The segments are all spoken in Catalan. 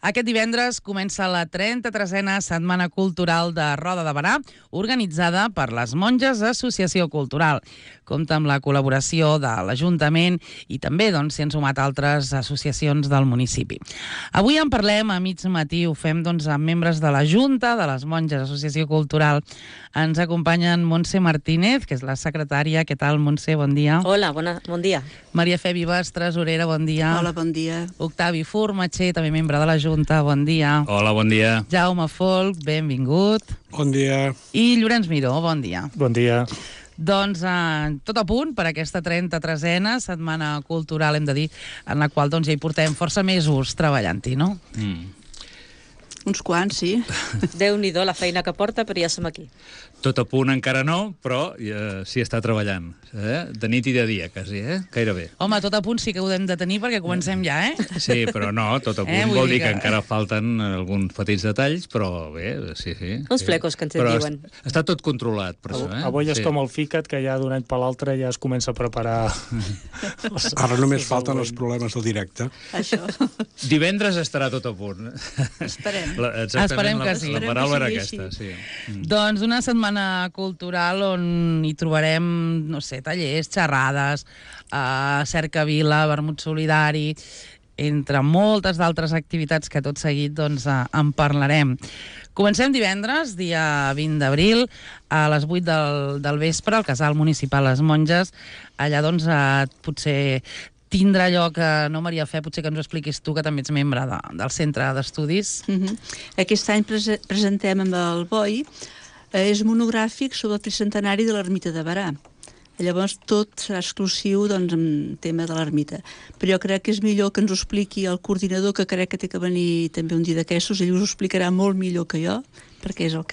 Aquest divendres comença la 33a Setmana Cultural de Roda de Berà, organitzada per les Monges Associació Cultural. Compta amb la col·laboració de l'Ajuntament i també s'hi han sumat altres associacions del municipi. Avui en parlem a mig matí, ho fem amb membres de la Junta de les Monges Associació Cultural. Ens acompanyen Montse Martínez, que és la secretària. Què tal, Montse? Bon dia. Hola, bon dia. Maria Fe Vives, tresorera, bon dia. Hola, bon dia. Octavi Formatxer, també membre de la Junta, bon dia. Hola, bon dia. Jaume Folk, benvingut. Bon dia. I Llorenç Miró, bon dia. Bon dia. Tot a punt per aquesta 33a Setmana Cultural, hem de dir, en la qual ja hi portem força mesos treballant-hi, no? Uns quants, sí. Déu-n'hi-do la feina que porta, però ja som aquí. Tot a punt encara no, però s'hi està treballant. De nit i de dia, quasi, gairebé. Home, tot a punt sí que ho hem de tenir perquè comencem ja, Sí, però no, tot a punt vol dir que encara falten alguns petits detalls, però bé, sí. Uns flecos que ens diuen. Però està tot controlat, per això. Avui és com el FICAT, que ja d'un any per l'altre ja es comença a preparar... Ara només falten els problemes del directe. Això. Divendres estarà tot a punt. Esperem. Esperem que sí. La paraula era aquesta, sí. Doncs una setmana cultural on hi trobarem, no sé, tallers, xerrades, cercavila, vermut solidari, entre moltes d'altres activitats que tot seguit en parlarem. Comencem divendres, dia 20 d'abril, a les 8 del vespre, al Casal Municipal Les Monges. Allà, potser tindrà lloc, no, Maria Fe, potser que ens ho expliquis tu, que també ets membre del Centre d'Estudis. Aquest any presentem amb el BOI, és monogràfic sobre el tricentenari de l'Ermita de Berà. Llavors tot serà exclusiu en tema de l'ermita. Però jo crec que és millor que ens ho expliqui el coordinador, que crec que té que venir també un dia d'aquestos. Ell us ho explicarà molt millor que jo, perquè és el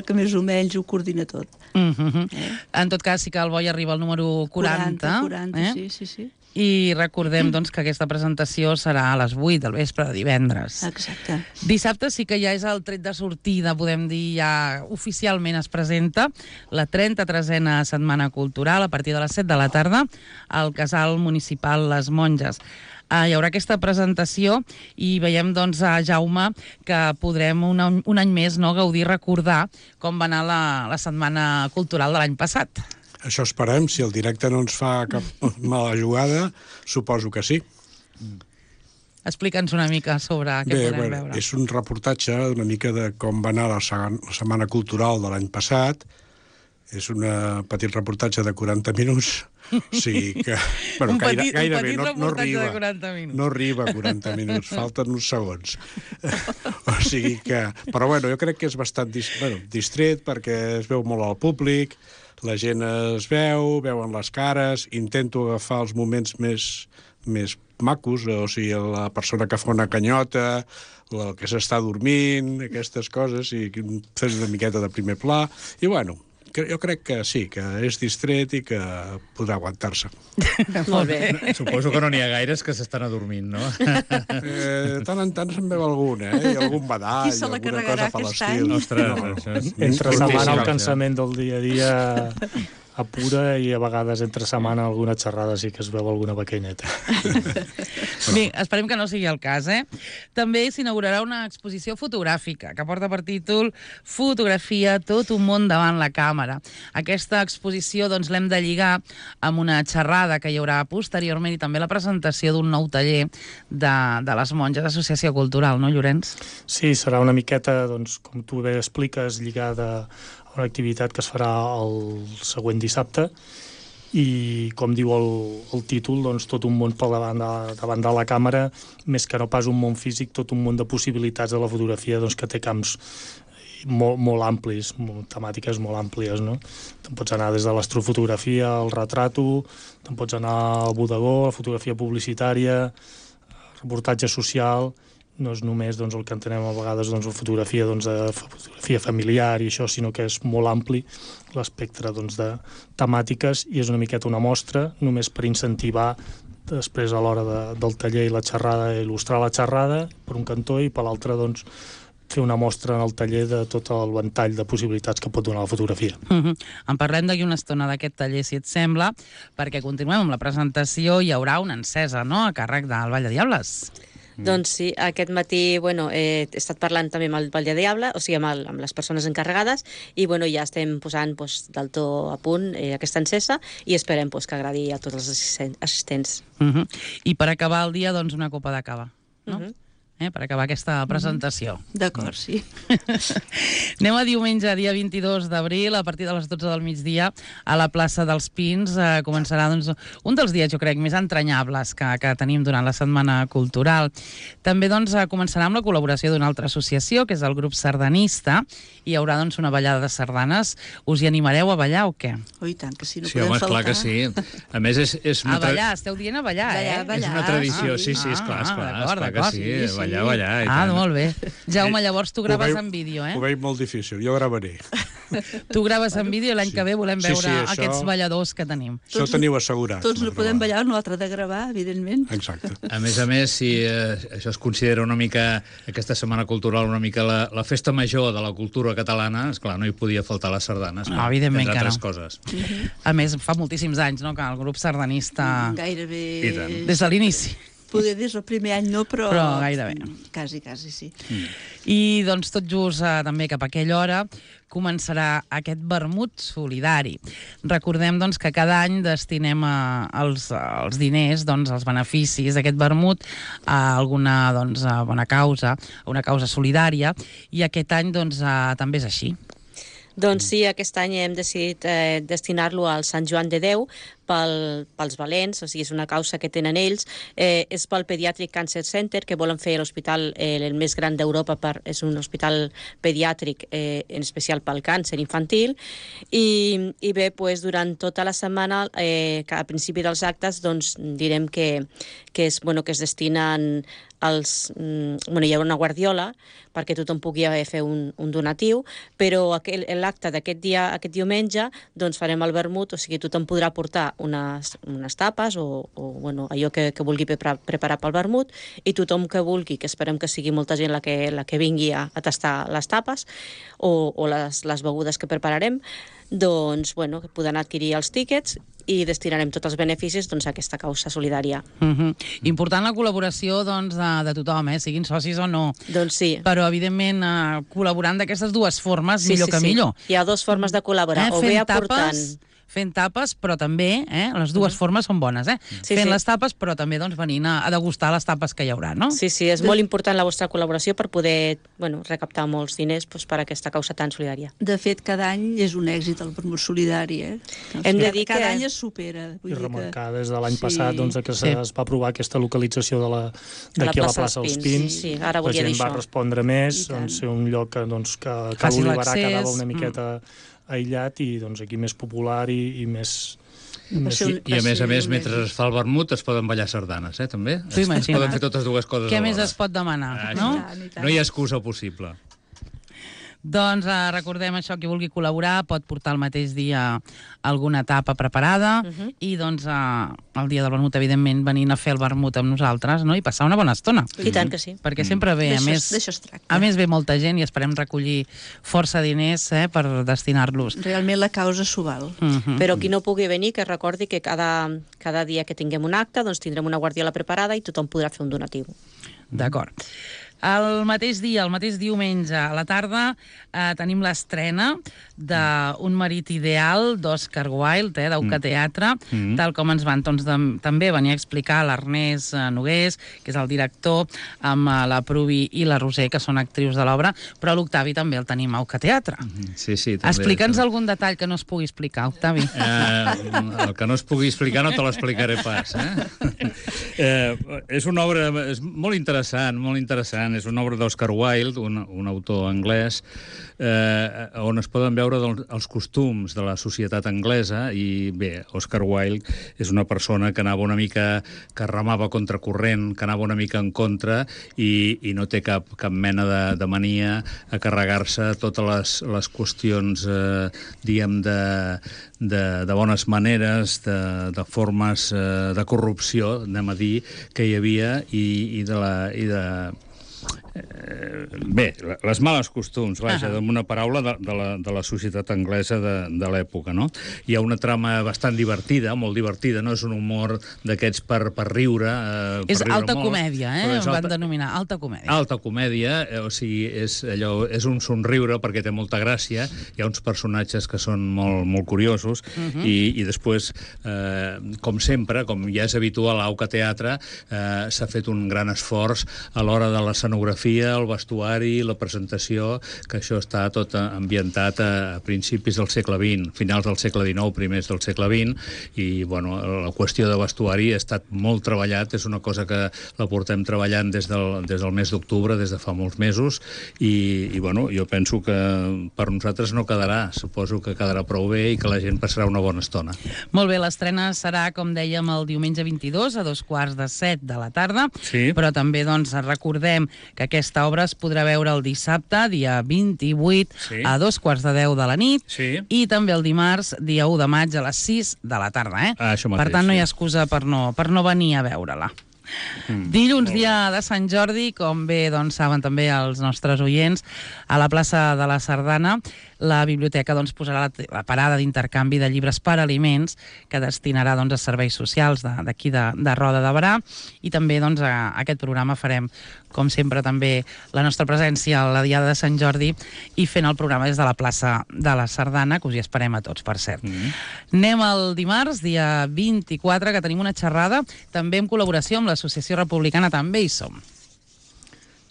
que més o menys ho coordina tot. En tot cas, sí que el BOI arriba al número 40. 40, sí. I recordem que aquesta presentació serà a les 8 del vespre de divendres. Exacte. Dissabte sí que ja és el tret de sortida, podem dir, ja oficialment es presenta la 33a Setmana Cultural a partir de les 7 de la tarda al Casal Municipal Les Monges. Hi haurà aquesta presentació i veiem, a Jaume, que podrem un any més gaudir, recordar com va anar la Setmana Cultural de l'any passat. Això esperem. Si el directe no ens fa cap mala jugada, suposo que sí. Explica'ns una mica sobre què podrem veure. És un reportatge una mica de com va anar la Setmana Cultural de l'any passat. És un petit reportatge de 40 minuts. O sigui que... Un petit reportatge de 40 minuts. No arriba a 40 minuts, falten uns segons. O sigui que... Però jo crec que és bastant distret perquè es veu molt al públic, la gent es veuen les cares, intento agafar els moments més macos, o sigui, la persona que fa una canyota, el que s'està dormint, aquestes coses, i fer una miqueta de primer pla, i jo crec que sí, que és distret i que podrà aguantar-se. Molt bé. Suposo que no n'hi ha gaires que s'estan adormint, no? De tant en tant se'n veu algun, i algun badall, qui se la alguna carregarà cosa fa aquest l'estil. Ostres, Entre setmana el cansament del dia a dia apura i a vegades entre setmana alguna xerrada sí que es veu alguna bequenyeta. Bé, esperem que no sigui el cas, També s'inaugurarà una exposició fotogràfica que porta per títol Fotografia, tot un món davant la càmera. Aquesta exposició l'hem de lligar amb una xerrada que hi haurà posteriorment i també la presentació d'un nou taller de les Monges Associació Cultural, no, Llorenç? Sí, serà una miqueta, com tu bé expliques, lligada a una activitat que es farà el següent dissabte i, com diu el títol, tot un món davant de la càmera, més que no pas un món físic, tot un món de possibilitats de la fotografia que té camps molt amplis, temàtiques molt àmplies, no? Te'n pots anar des de l'astrofotografia, el retrato, te'n pots anar al bodegó, la fotografia publicitària, reportatge social. No és només el que entenem a vegades la fotografia familiar i això, sinó que és molt ampli l'espectre de temàtiques i és una miqueta una mostra només per incentivar després a l'hora del taller i la xerrada, il·lustrar la xerrada per un cantó i per l'altre fer una mostra en el taller de tot el ventall de possibilitats que pot donar la fotografia. En parlem d'aquí una estona d'aquest taller, si et sembla, perquè continuem amb la presentació i hi haurà una encesa, no?, a càrrec del Vall de Diables. Doncs sí, aquest matí he estat parlant també amb el Vall de Diable, o sigui, amb les persones encarregades, i ja estem posant del tot a punt aquesta encesa i esperem que agradi a tots els assistents. I per acabar el dia, doncs, una copa de cava, no? Per acabar aquesta presentació. D'acord, sí. Anem a diumenge, dia 22 d'abril, a partir de les 12 del migdia, a la plaça dels Pins. Començarà un dels dies, jo crec, més entranyables que tenim durant la Setmana Cultural. També començarà amb la col·laboració d'una altra associació, que és el grup sardanista. Hi haurà una ballada de sardanes. Us hi animareu a ballar o què? Oh, i tant, que sí, no Sí, podem home, faltar. esclar que sí. A més, és A ballar, esteu dient a ballar, Ballar, és una tradició, sí, esclar que sí, ballar, i tant. Molt bé. Jaume, llavors tu graves en vídeo, Ho veig molt difícil, jo gravaré. Tu graves en vídeo i l'any que ve volem Sí, veure això- aquests balladors que tenim. Això ho teniu assegurat. Tots no podem ballar, no l'altre de gravar, evidentment. Exacte. A més, si això es considera una mica, aquesta Setmana Cultural, una mica la festa major de la cultura catalana, esclar, no hi podia faltar les sardanes. No, evidentment entre que altres no. coses. A més, fa moltíssims anys, no?, que el grup sardanista... I Gairebé... tant. Des de l'inici. Poder des del primer any no, però gairebé. Quasi, sí. I, tot just també cap a aquella hora començarà aquest vermut solidari. Recordem, que cada any destinem els diners, els beneficis d'aquest vermut a alguna a bona causa, a una causa solidària, i aquest any també és així. Doncs sí, aquest any hem decidit destinar-lo al Sant Joan de Déu pels valents, o sigui, és una causa que tenen ells. És pel Pediatric Cancer Center, que volen fer l'hospital el més gran d'Europa, és un hospital pediàtric, en especial pel càncer infantil, i bé, durant tota la setmana, a principi dels actes, direm que es destinen hi ha una guardiola perquè tothom pugui fer un donatiu, però l'acte d'aquest diumenge farem el vermut, o sigui, tothom podrà portar unes tapes o allò que vulgui preparar pel vermut, i tothom que vulgui, que esperem que sigui molta gent la que vingui a tastar les tapes o les begudes que prepararem, que poden adquirir els tíquets i destinarem tots els beneficis a aquesta causa solidària. Important la col·laboració de tothom, siguin socis o no. Doncs sí. Però, evidentment, col·laborant d'aquestes dues formes, millor que millor. Hi ha dues formes de col·laborar, o bé aportant... Fent tapes, però també, les dues formes són bones, fent les tapes, però també venint a degustar les tapes que hi haurà, no? Sí, és molt important la vostra col·laboració per poder recaptar molts diners per a aquesta causa tan solidària. De fet, cada any és un èxit el vermut solidari, Hem de dir cada any es supera. I remarcar des de l'any passat que es va aprovar aquesta localització d'aquí a la plaça dels Pins. Sí, ara volia dir això. La gent va respondre més, ser un lloc que l'Olivarà quedava una miqueta aïllat i aquí més popular i més... I a més, mentre es fa el vermut es poden ballar sardanes, també? Es poden fer totes dues coses Què alhora. més es pot demanar, no? No hi ha excusa possible. Doncs recordem això, qui vulgui col·laborar pot portar el mateix dia alguna tapa preparada i el dia del vermut, evidentment, venint a fer el vermut amb nosaltres, no? I passar una bona estona. I tant que sí. Perquè sempre ve, a més ve molta gent i esperem recollir força diners per destinar-los. Realment la causa s'ho val. Però qui no pugui venir, que recordi que cada dia que tinguem un acte tindrem una guardiola preparada i tothom podrà fer un donatiu. D'acord. El mateix dia, el mateix diumenge, a la tarda, tenim l'estrena d'un marit ideal d'Oscar Wilde, d'Auca Teatre, tal com ens van també venir a explicar l'Ernest Nogués, que és el director, amb la Pruvi i la Roser, que són actrius de l'obra, però l'Octavi també el tenim a Auca Teatre. Sí, també. Explica'ns algun detall que no es pugui explicar, Octavi. El que no es pugui explicar no te l'explicaré pas. És una obra molt interessant, és una obra d'Oscar Wilde, un autor anglès, on es poden veure els costums de la societat anglesa, i bé, Oscar Wilde és una persona que anava una mica, que remava contracorrent, que anava una mica en contra, i no té cap mena de mania a carregar-se totes les qüestions, diguem, de bones maneres, de formes de corrupció, anem a dir, que hi havia, i de bé, les males costums, vaja, amb una paraula de la societat anglesa de l'època, no? Hi ha una trama bastant divertida, molt divertida, no? És un humor d'aquests per riure. És alta comèdia, van denominar alta comèdia. Alta comèdia, o sigui, és un somriure perquè té molta gràcia, hi ha uns personatges que són molt curiosos, i després, com sempre, com ja és habitual a Auca Teatre, s'ha fet un gran esforç a l'hora de l'escenografia, el vestuari, la presentació, que això està tot ambientat a principis del segle XX, finals del segle XIX, primers del segle XX, i bueno, la qüestió de vestuari ha estat molt treballat, és una cosa que la portem treballant des del mes d'octubre, des de fa molts mesos, i bueno, jo penso que per nosaltres no quedarà, suposo que quedarà prou bé i que la gent passarà una bona estona. Molt bé, l'estrena serà, com dèiem, el diumenge 22 a 2:45 de la tarda, però també doncs, recordem que aquesta obra es podrà veure el dissabte, dia 28, a 2:45 de la nit, i també el dimarts, dia 1 de maig, a les 6 de la tarda. Per tant, no hi ha excusa per no venir a veure-la. Dilluns, dia de Sant Jordi, com bé saben també els nostres oients, a la plaça de la Sardana, la biblioteca posarà la parada d'intercanvi de llibres per aliments que destinarà a serveis socials d'aquí de Roda de Berà, i també a aquest programa farem, com sempre, també la nostra presència a la Diada de Sant Jordi i fent el programa des de la plaça de la Sardana, que us hi esperem a tots, per cert. Anem al dimarts, dia 24, que tenim una xerrada, també en col·laboració amb l'Associació Republicana També hi som.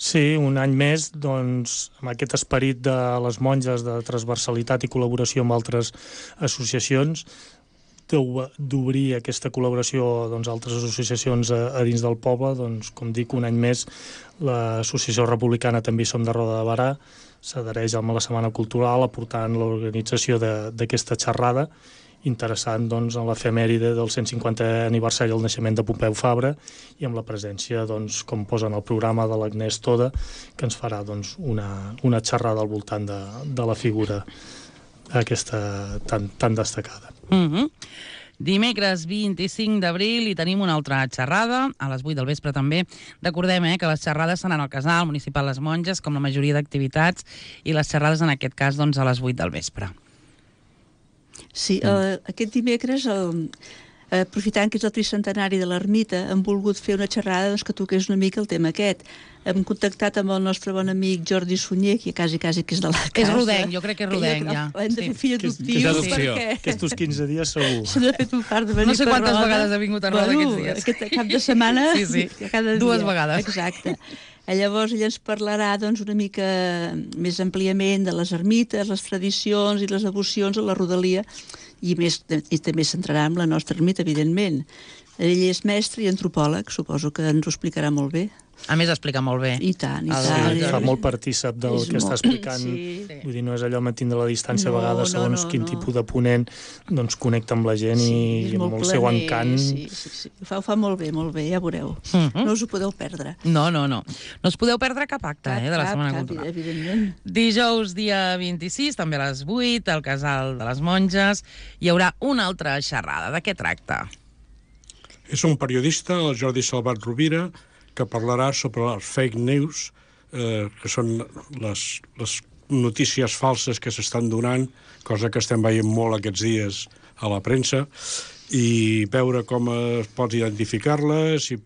Sí, un any més, doncs, amb aquest esperit de les monges de transversalitat i col·laboració amb altres associacions, d'obrir aquesta col·laboració a altres associacions a dins del poble, doncs, com dic, un any més, l'Associació Republicana També hi som de Roda de Berà s'adhereix a la Setmana Cultural aportant l'organització d'aquesta xerrada, interessant en l'efemèride del 150è aniversari del naixement de Pompeu Fabra i amb la presència, com posa en el programa, de l'Agnès Toda, que ens farà una xerrada al voltant de la figura aquesta tan destacada. Dimecres 25 d'abril i tenim una altra xerrada, a les 8 del vespre també. Recordem que les xerrades seran al Casal Municipal Les Monges, com la majoria d'activitats, i les xerrades en aquest cas a les 8 del vespre. Sí, aquest dimecres, aprofitant que és el tricentenari de l'ermita, hem volgut fer una xerrada que toqués una mica el tema aquest. Hem contactat amb el nostre bon amic Jordi Sunyer, que quasi que és de la casa. És rodenc, jo crec que és rodenc, ja. Hem de fer fill adoptiu, perquè... Aquests 15 dies segur. Se n'ha fet un fart de venir per Roda. No sé quantes vegades ha vingut a Roda aquests dies. Aquest cap de setmana, cada dia. 2 vegades. Exacte. Llavors ell ens parlarà una mica més àmpliament de les ermites, les tradicions i les devocions a la rodalia, i també centrarà en la nostra ermita, evidentment. Ell és mestre i antropòleg, suposo que ens ho explicarà molt bé. A més, explica molt bé. I tant, i tant. Fa molt partícip del que està explicant. Vull dir, no és allò mantint de la distància, a vegades, segons quin tipus de ponent, connecta amb la gent i amb el seu encant. Sí. Ho fa molt bé, ja veureu. No us ho podeu perdre. No. No us podeu perdre cap acte de la Setmana Cultural. Evidentment. Dijous, dia 26, també a les 8, al Casal de les Monges, hi haurà una altra xerrada. De què tracta? És un periodista, el Jordi Salvat Rovira, que parlarà sobre les fake news, que són les notícies falses que s'estan donant, cosa que estem veient molt aquests dies a la premsa, i veure com es pot identificar-les i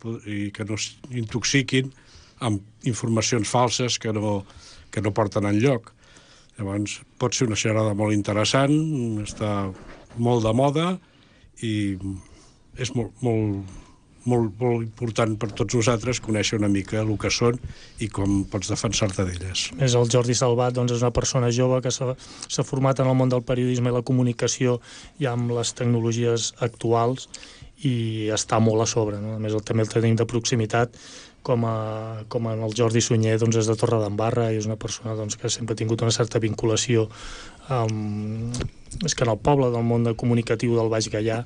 que no s'intoxiquin amb informacions falses que no porten enlloc. Llavors, pot ser una xerrada molt interessant, està molt de moda i és molt important per tots nosaltres conèixer una mica el que són i com pots defensar-te d'elles. El Jordi Salvat és una persona jove que s'ha format en el món del periodisme i la comunicació i amb les tecnologies actuals i està molt a sobre. A més, també el tenim de proximitat, com en el Jordi Sunyer és de Torredembarra i és una persona que sempre ha tingut una certa vinculació més que en el poble, del món comunicatiu del Baix Gaià,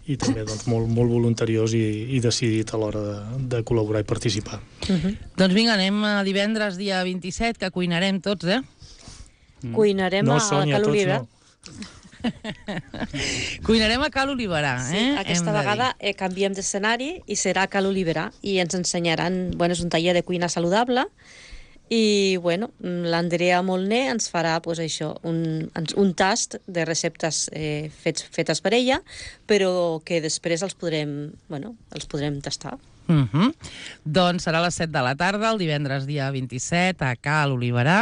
i també molt voluntariós i decidit a l'hora de col·laborar i participar. Doncs vinga, anem a divendres, dia 27, que cuinarem tots, Cuinarem a Cal Oliva. Cuinarem a Cal Oliverà, Sí, aquesta vegada canviem d'escenari i serà a Cal Oliverà i ens ensenyaran, és un taller de cuina saludable, I, bueno, l'Andrea Molné ens farà, pues, això, un tast de receptes fetes per ella, però que després els podrem tastar. Doncs serà a les 7 de la tarda, el divendres dia 27, a Cal Oliverà.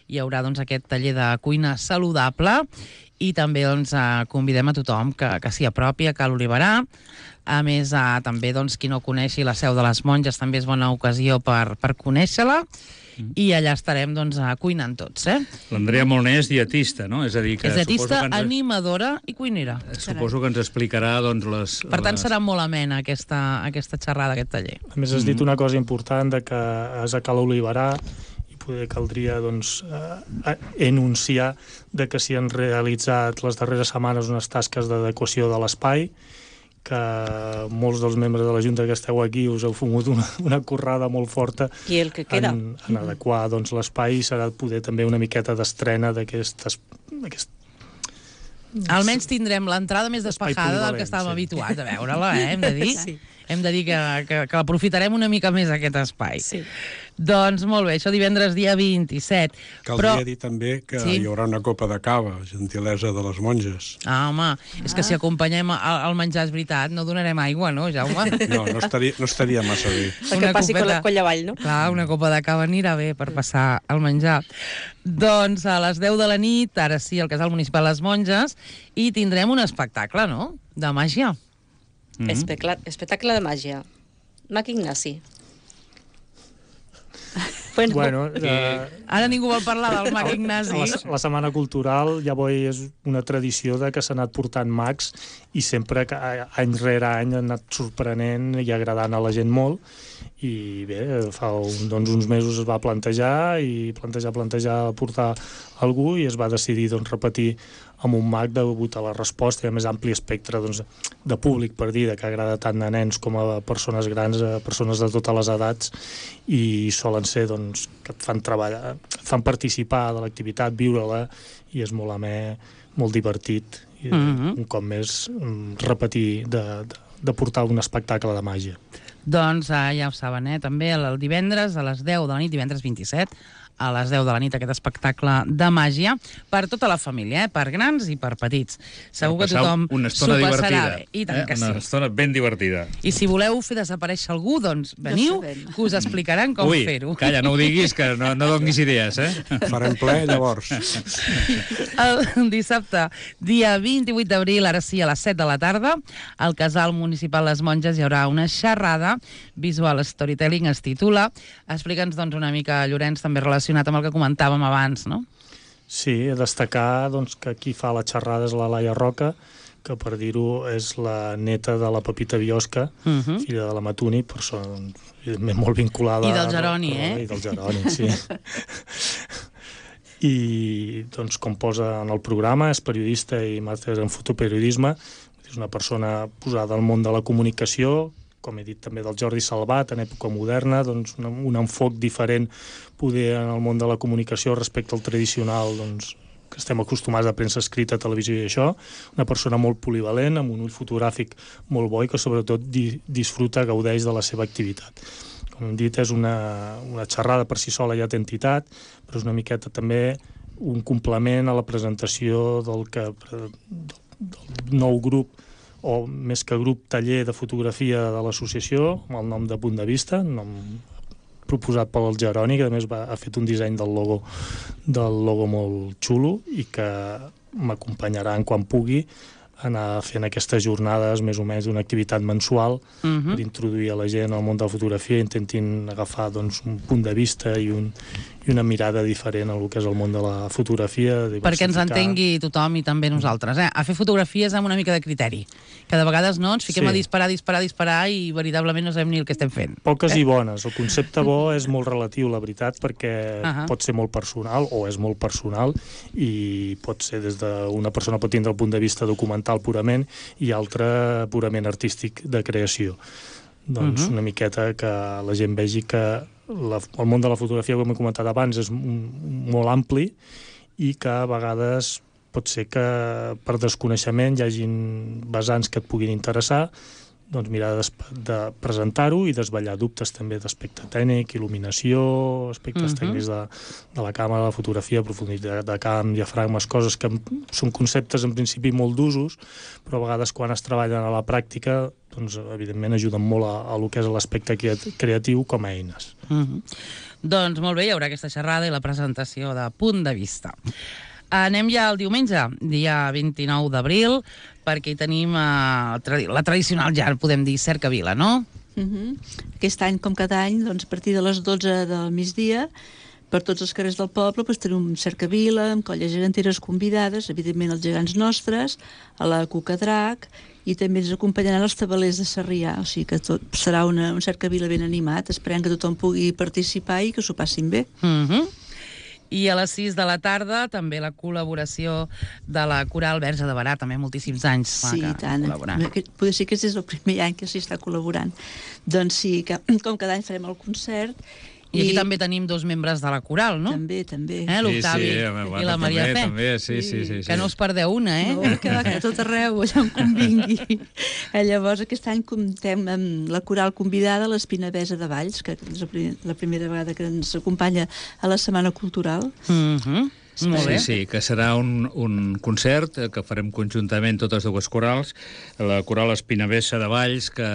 Hi haurà doncs, aquest taller de cuina saludable i també doncs, convidem a tothom que s'hi apropi a Cal Oliverà. A més, també doncs, qui no coneixi la Seu de les Monges també és bona ocasió per conèixer-la. I allà estarem doncs, cuinant tots. L'Andrea Molné és dietista, no? És a dir, que és dietista, animadora i cuinera. Suposo que ens explicarà doncs, les... Per tant, serà molt amena aquesta xerrada, aquest taller. A més, has dit una cosa important, de que és a Cal Oliverà, i poder caldria doncs, enunciar de que s'hi han realitzat les darreres setmanes unes tasques d'adequació de l'espai, que molts dels membres de la Junta que esteu aquí us heu fumut una currada molt forta I el que queda. en adequar doncs, l'espai, i serà poder també una miqueta d'estrena d'aquest... Almenys tindrem l'entrada més despejada del que estàvem habituats a veure-la, hem de dir. Sí. Hem de dir que aprofitarem una mica més aquest espai. Sí. Doncs molt bé, això divendres dia 27. Caldria dir també que hi haurà una copa de cava, gentilesa de les monges. Home, és que si acompanyem el menjar, és veritat, no donarem aigua, no, Jaume? No estaria massa bé. Que passi colla avall, no? Clar, una copa de cava anirà bé per passar el menjar. Doncs a les 10 de la nit, ara sí, al Casal Municipal Les Monges, i tindrem un espectacle, no?, de màgia. Espectacle de màgia. Mac Ignasi. Bueno, ara ningú vol parlar del Mac Ignasi. La Setmana Cultural ja és una tradició de que s'ha anat portant mags, i sempre que any rere any ha anat sorprenent i agradant a la gent molt. I bé, fa uns mesos es va plantejar portar algú, i es va decidir repetir amb un mag degut a la resposta i a més ampli espectre de públic, per dir, que agrada tant a nens com a persones grans, a persones de totes les edats, i solen ser que et fan treballar, et fan participar de l'activitat, viure-la, i és molt amè, molt divertit, i un cop més repetir de portar un espectacle de màgia. Doncs ja ho saben, també el divendres a les 10 de la nit, divendres 27, a les 10 de la nit, aquest espectacle de màgia per tota la família, per grans i per petits. Segur que tothom s'ho passarà bé. I tant que sí. Una estona ben divertida. I si voleu fer desaparèixer algú, doncs veniu, que us explicaran com fer-ho. Calla, no ho diguis, que no donis idees, Farem ple, llavors. El dissabte, dia 28 d'abril, ara sí, a les 7 de la tarda, al Casal Municipal Les Monges hi haurà una xerrada, Visual Storytelling es titula. Explica'ns una mica, Llorenç, també relacionat amb el que comentàvem abans, no? Sí, destacar que qui fa la xerrada és la Laia Roca, que per dir-ho és la neta de la Pepita Biosca, filla de la Matuni, persona molt vinculada... I del Jeroni, I del Jeroni, sí. I, com posa en el programa, és periodista i màster en fotoperiodisme, és una persona posada al món de la comunicació, com he dit també del Jordi Salvat, en època moderna, un enfoc diferent poder en el món de la comunicació respecte al tradicional, que estem acostumats a premsa escrita, televisió i això, una persona molt polivalent, amb un ull fotogràfic molt bo i que sobretot disfruta, gaudeix de la seva activitat. Com hem dit, és una xerrada per si sola ja té entitat, però és una miqueta també un complement a la presentació del nou grup, o més que grup, taller de fotografia de l'associació, amb el nom de Punt de Vista, nom proposat pel Jeroni, que a més ha fet un disseny del logo molt xulo, i que m'acompanyaran quan pugui anar fent aquestes jornades més o menys d'una activitat mensual per introduir a la gent al món de la fotografia i intentin agafar un punt de vista i una mirada diferent al que és el món de la fotografia. Perquè ens entengui tothom i també nosaltres. A fer fotografies amb una mica de criteri. Que de vegades ens fiquem a disparar i veritablement no sabem ni el que estem fent. Poques i bones. El concepte bo és molt relatiu, la veritat, perquè pot ser molt personal o és molt personal i pot ser des d'una persona pot tindre el punt de vista documental purament i altre purament artístic de creació. Una miqueta que la gent vegi que el món de la fotografia, com he comentat abans, és molt ampli i que a vegades pot ser que per desconeixement hi hagin vessants que et puguin interessar, doncs mirar de presentar-ho i desvetllar dubtes també d'aspecte tècnic, il·luminació, aspectes tècnics de la càmera, la fotografia, profunditat de camp, diafragmes, coses que són conceptes en principi molt d'usos, però a vegades quan es treballen a la pràctica, doncs evidentment ajuden molt a lo que és l'aspecte creatiu com a eines. Doncs molt bé, hi haurà aquesta xerrada i la presentació de Punt de Vista. Anem ja al diumenge, dia 29 d'abril, perquè hi tenim la tradicional, ja podem dir, cercavila, no? Aquest any, com cada any, doncs, a partir de les 12 del migdia, per tots els carrers del poble tenim un cercavila amb colles geganteres convidades, evidentment els gegants nostres, a la Cucadrac, i també ens acompanyaran els tabalers de Sarrià, o sigui que tot serà un cercavila ben animat, esperem que tothom pugui participar i que s'ho passin bé. I a les 6 de la tarda també la col·laboració de la Coral Verge de Berà, també moltíssims anys sí, tant. Potser sí que és el primer any que s'hi està col·laborant. Doncs sí, com cada any farem el concert. I aquí també tenim 2 membres de la Coral, no? També. L'Octavi i la Maria Fe. També, sí. Que no us perdeu una, No, que va tot arreu, allà on convingui. Llavors, aquest any comptem amb la Coral convidada, l'Espinavesa de Valls, que és la primera vegada que ens acompanya a la Setmana Cultural. Molt bé. Sí, que serà un concert que farem conjuntament totes dues corals, la coral Espinavesa de Valls, que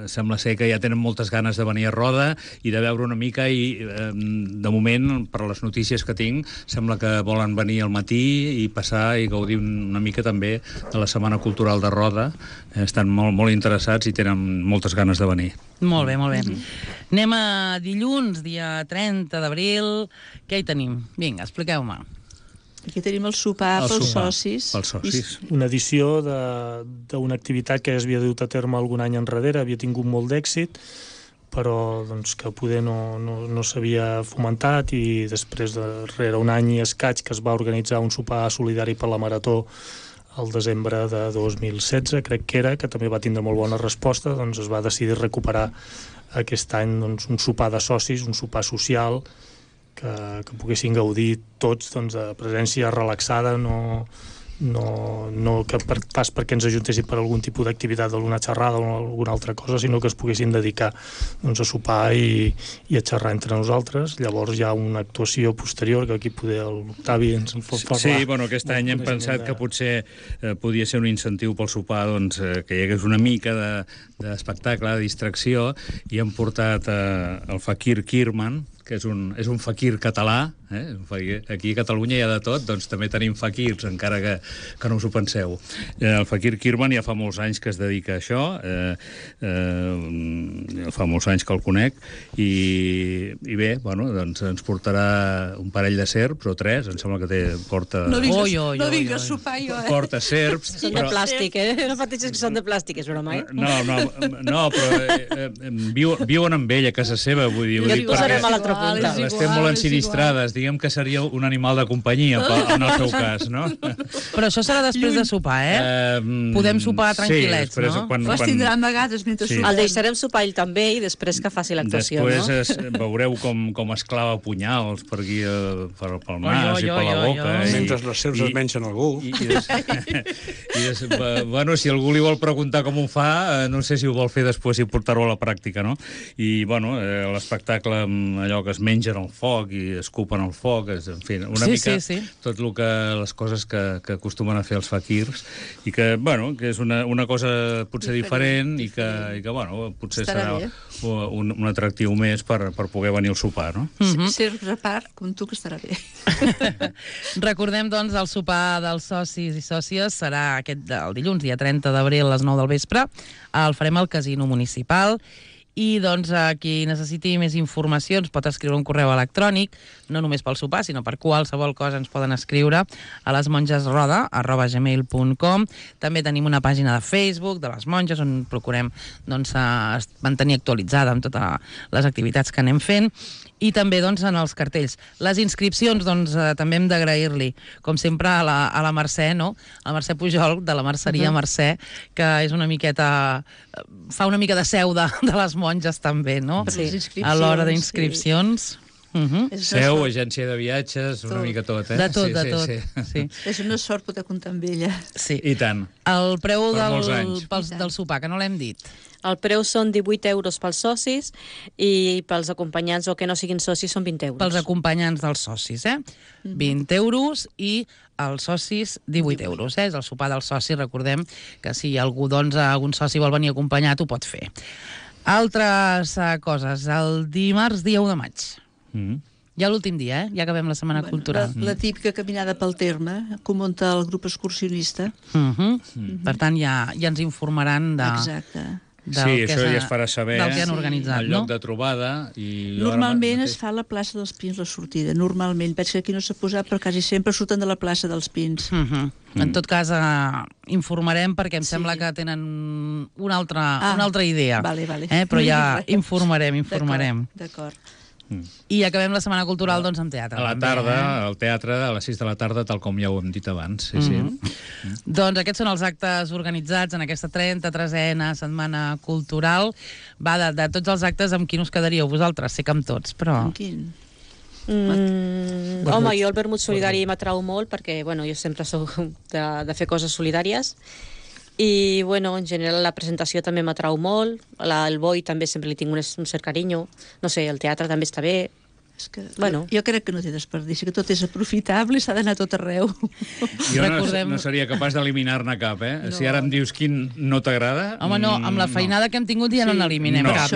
sembla ser que ja tenen moltes ganes de venir a Roda i de veure una mica, i de moment, per les notícies que tinc, sembla que volen venir al matí i passar i gaudir una mica també de la Setmana Cultural de Roda. Estan molt interessats i tenen moltes ganes de venir. Molt bé. Anem a dilluns, dia 30 d'abril. Què hi tenim? Vinga, expliqueu-me. Aquí tenim el sopar pels socis. Pels socis. Una edició d'una activitat que ja s'havia dut a terme algun any enrere, havia tingut molt d'èxit, però doncs, que poder no s'havia fomentat, i després darrere un any i escaig que es va organitzar un sopar solidari per la Marató al desembre de 2016, crec que era, que també va tindre molt bona resposta, doncs es va decidir recuperar aquest any doncs, un sopar de socis, un sopar social, que poguessin gaudir tots doncs, de presència relaxada, no que pas perquè ens ajuntessin per algun tipus d'activitat, alguna xerrada o alguna altra cosa, sinó que es poguessin dedicar doncs, a sopar i a xerrar entre nosaltres. Llavors hi ha una actuació posterior que aquí poder l'Octavi ens en pot parlar. Sí, aquest any hem pensat que potser podia ser un incentiu pel sopar, doncs, que hi hagués una mica d'espectacle, de distracció, i hem portat el Fakir Kirman, que és un fakir català. Aquí a Catalunya hi ha de tot, doncs també tenim fakirs, encara que no us ho penseu. El Fakir Kirman ja fa molts anys que es dedica a això, fa molts anys que el conec, i bé, doncs ens portarà un parell de serps, o 3, em sembla que porta... No vinc a sopar jo, Porta serps... Són de plàstic, No pateixis que són de plàstic, és broma, No, però viuen amb ell a casa seva, vull dir... Ja et posarem a l'altra punta. Estem molt ensinistrades, diguem que seria un animal de companyia, en el seu cas, no? Però això serà després de sopar, Podem sopar tranquil·lets, no? Els tindran vegades mentre sopem. El deixarem sopar ell també i després que faci l'actuació, no? Després veureu com es clava punyals per aquí, pel nas i per la boca. Mentre les serps es mengen algú. Bueno, si algú li vol preguntar com ho fa, no sé si ho vol fer després i portar-ho a la pràctica, no? I, bueno, l'espectacle amb allò que es mengen al foc i escupen al foc, en fi, una mica tot el que les coses que acostumen a fer els fakirs, i que, bueno, que és una cosa potser diferent i que bueno, potser serà un atractiu més per poder venir al sopar, no? Serps a part, com tu, que estarà bé. Recordem, doncs, el sopar dels socis i sòcies serà el dilluns, dia 30 d'abril, a les 9 del vespre. El farem al Casino Municipal. I, doncs, qui necessiti més informació ens pot escriure un correu electrònic, no només pel sopar, sinó per qualsevol cosa ens poden escriure a lesmongesroda@gmail.com. També tenim una pàgina de Facebook de les monges, on procurem mantenir actualitzada amb totes les activitats que anem fent. I també, doncs, en els cartells. Les inscripcions, doncs, també hem d'agrair-li, com sempre, a la Mercè, no? A la Mercè Pujol, de la Merceria Mercè, que és una miqueta... fa una mica de seu de les monges, també, no? Sí. A l'hora d'inscripcions. Seu, agència de viatges, una mica tot, eh? De tot, de tot. Sí. És una sort poder comptar amb ella. Sí. I tant. El preu molts anys. del sopar, que no l'hem dit. El preu són 18 euros pels socis i pels acompanyants o que no siguin socis són 20 euros. Pels acompanyants dels socis, 20 euros i els socis 18 euros. És el sopar dels socis, recordem que si algú, algun soci vol venir acompanyat, ho pot fer. Altres coses. El dimarts, dia 1 de maig. Ja l'últim dia, ja acabem la Setmana Cultural. La típica caminada pel terme, que ho munta el grup excursionista. Per tant, ja ens informaran Exacte. Sí, això ja es farà saber del que han organitzat, el lloc de trobada. Normalment es fa a la plaça dels Pins la sortida, normalment. Veig que aquí no s'ha posat, però quasi sempre surten de la plaça dels Pins. En tot cas, informarem perquè em sembla que tenen una altra idea. Vale. Però ja informarem. D'acord. I acabem la Setmana Cultural doncs amb teatre. A la tarda, al teatre, a les 6 de la tarda, tal com ja ho hem dit abans. Sí. Doncs aquests són els actes organitzats en aquesta 33a Setmana Cultural. Va, de tots els actes, amb quin us quedaríeu vosaltres? Sé que amb tots, però... Amb quin? Home, jo el vermut solidari m'atrau molt perquè, jo sempre soc de fer coses solidàries i, en general la presentació també m'atrau molt, el boi també sempre li tinc un cert carinyo, no sé, el teatre també està bé. És que, jo crec que no té desperdici, que tot és aprofitable i s'ha d'anar tot arreu. Jo no seria capaç d'eliminar-ne cap, eh? No. Si ara em dius quin no t'agrada... Home, no, amb la feinada que hem tingut ja no n'eliminem cap.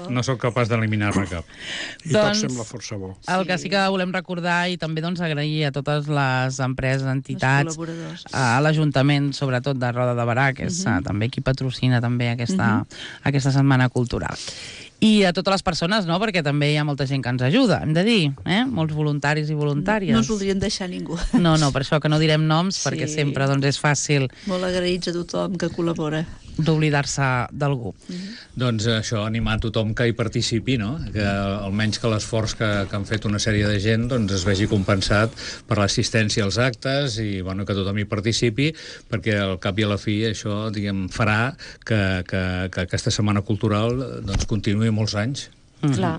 No sóc capaç d'eliminar-ne cap. I tot sembla força bo. El que sí que volem recordar i també agrair a totes les empreses, entitats, a l'Ajuntament, sobretot de Roda de Berà, que és també qui patrocina també aquesta Setmana Cultural. I a totes les persones, no?, perquè també hi ha molta gent que ens ajuda, hem de dir, molts voluntaris i voluntàries. No ens voldríem deixar ningú. No, per això que no direm noms, perquè sempre és fàcil... Molt agraïts a tothom que col·labora. D'oblidar-se d'algú. Doncs això, animar tothom que hi participi, no?, que almenys que l'esforç que han fet una sèrie de gent es vegi compensat per l'assistència als actes i que tothom hi participi, perquè al cap i a la fi això, farà que aquesta Setmana Cultural continuï molts anys. Clar.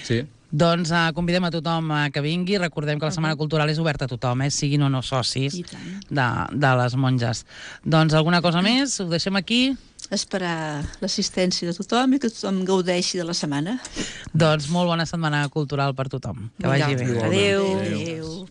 Sí. Doncs convidem a tothom que vingui. Recordem que la Setmana Cultural és oberta a tothom, siguin o no socis de les monges. Doncs alguna cosa més? Ho deixem aquí? Esperar l'assistència de tothom i que tothom gaudeixi de la setmana. Doncs molt bona Setmana Cultural per tothom. Que vagi bé. Adéu.